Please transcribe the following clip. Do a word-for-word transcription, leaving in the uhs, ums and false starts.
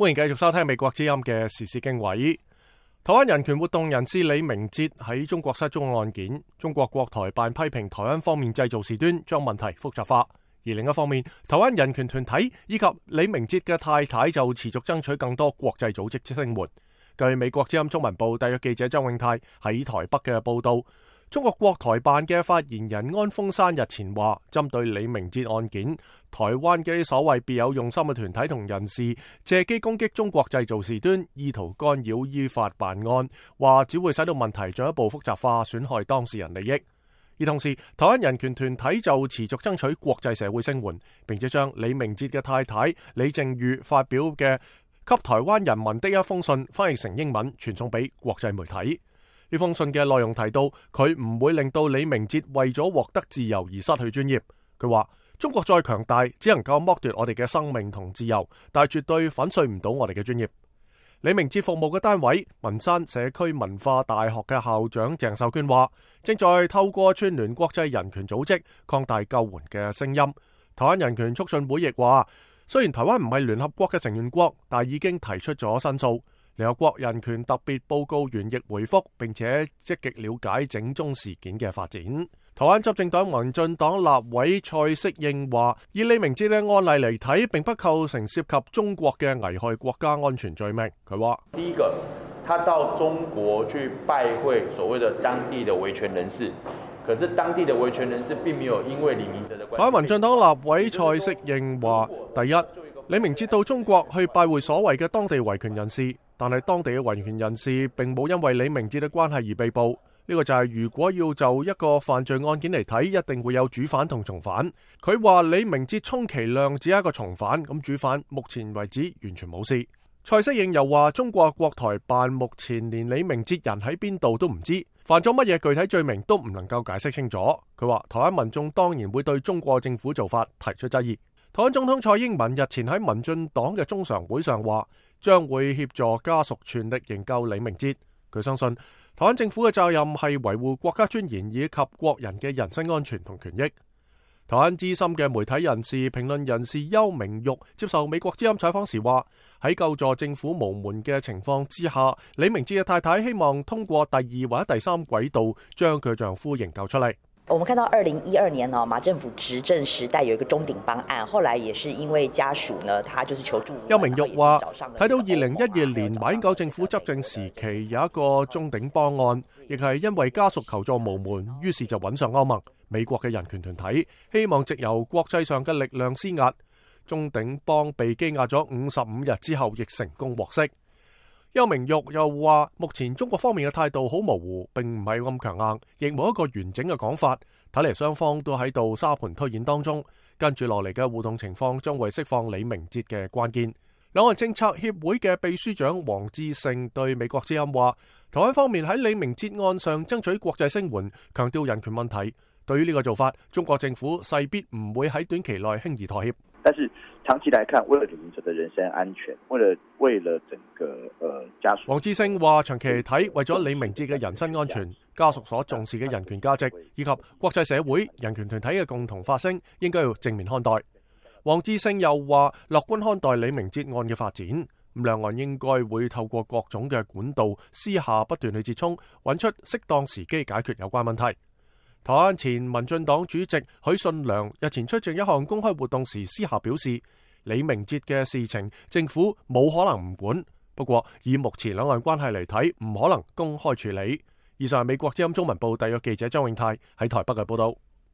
歡迎繼續收聽美國之音嘅時事經緯。台灣人權活動人士李明哲喺中國失蹤案件，中國國台辦批評台灣方面製造事端，將問題複雜化。而另一方面，台灣人權團體以及李明哲嘅太太就持續爭取更多國際組織聲援。據美國之音中文部特約記者周永泰喺台北嘅報道，中國國台辦嘅發言人安峰山日前話，針對李明哲案件，台灣嘅所謂別有用心嘅團體同人士借機攻擊中國製造事端，意圖干擾依法辦案，話只會使到問題進一步複雜化，損害當事人利益。而同時，台灣人權團體就持續爭取國際社會聲援，並且將李明哲嘅太太李淨瑜發表嘅給台灣人民的一封信翻譯成英文，傳送俾國際媒體。呢封信嘅內容提到，佢唔會令到李明哲為咗獲得自由而失去專業。佢話中國再強大，只能夠剝奪我哋嘅生命同自由，但係絕對粉碎唔到我哋嘅專業。李明哲服務嘅單位文山社區文化大學嘅校長鄭秀娟話，正在透過串聯國際人權組織擴大救援嘅聲音。台灣人權促進會亦話，雖然台灣唔係聯合國嘅成員國，但已經提出咗申訴。聯合國人權特別報告員亦回覆，並且積極了解整宗事件嘅發展。台灣執政黨民進黨立委蔡適應話，以李明哲嘅案例嚟睇，並不構成涉及中國嘅危害國家安全罪名。佢話：第一個，他到中國去拜會所謂的當地的維權人士，可是當地的維權人士並沒有因為李明哲的關係。台灣民進黨立委蔡適應話：第一，李明哲到中國去拜會所謂嘅當地維權人士，但係當地嘅維權人士並冇因為李明哲嘅關係而被捕。呢個就係如果要就一個犯罪案件嚟睇，一定會有主犯同從犯。佢話李明哲充其量只係一個從犯，咁主犯目前為止完全冇事。蔡適應又話，中國國台辦目前連李明哲人喺邊度都唔知，犯咗乜嘢具體罪名都唔能夠解釋清楚。佢話台灣民眾當然會對中國政府做法提出質疑。台灣總統蔡英文日前喺民進黨嘅中常會上話，將會協助家屬全力營救李明哲。佢相信台灣政府嘅責任係維護國家尊嚴以及國人嘅人身安全同權益。台灣資深嘅媒體人士、評論人士邱明玉接受美國之音採訪時話，喺救助政府無門嘅情況之下，李明哲嘅太太希望通過第二或者第三軌道將佢丈夫營救出嚟。我們看到二零一二年哦，馬政府執政時代有一個中鼎邦案，後來也是因為家屬呢，他就是求助。邱明玉話：睇到二零一二年馬英九政府執政時期有一個中鼎邦案，亦係因為家屬求助無門，於是就揾上歐盟、美國嘅人權團體，希望藉由國際上嘅力量施壓。中鼎邦被羈押咗五十五日之後，亦成功獲釋。邱明玉又話，目前中國方面嘅態度好模糊，並唔係咁強硬，亦冇一個完整嘅講法。睇嚟雙方都喺度沙盤推演當中，跟住落嚟嘅互動情況將會釋放李明哲嘅關鍵。兩岸政策協會嘅秘書長黃志勝對美國之音話，台灣方面喺李明哲案上爭取國際聲援，強調人權問題。對於呢個做法，中國政府勢必唔會喺短期內輕易妥協。但是長期來看，為了李明哲的人身安全，為了為了整個呃家屬，黃志勝話：長期嚟睇，為咗李明哲嘅人身安全，家屬所重視嘅人權價值，以及國際社會人權團體嘅共同發聲，應該要正面看待。黃志勝又話：樂觀看待李明哲案嘅發展，咁兩岸應該會透過各種嘅管道，私下不斷去接觸，揾出適當時機解決有關問題。台灣前民進黨主席許信良日前出席一項公開活動時，私下表示，李明哲嘅事情政府冇可能唔管，不過以目前兩岸關係嚟睇，唔可能公開處理。以上係美國之音中文部特約記者張永泰喺台北嘅報道。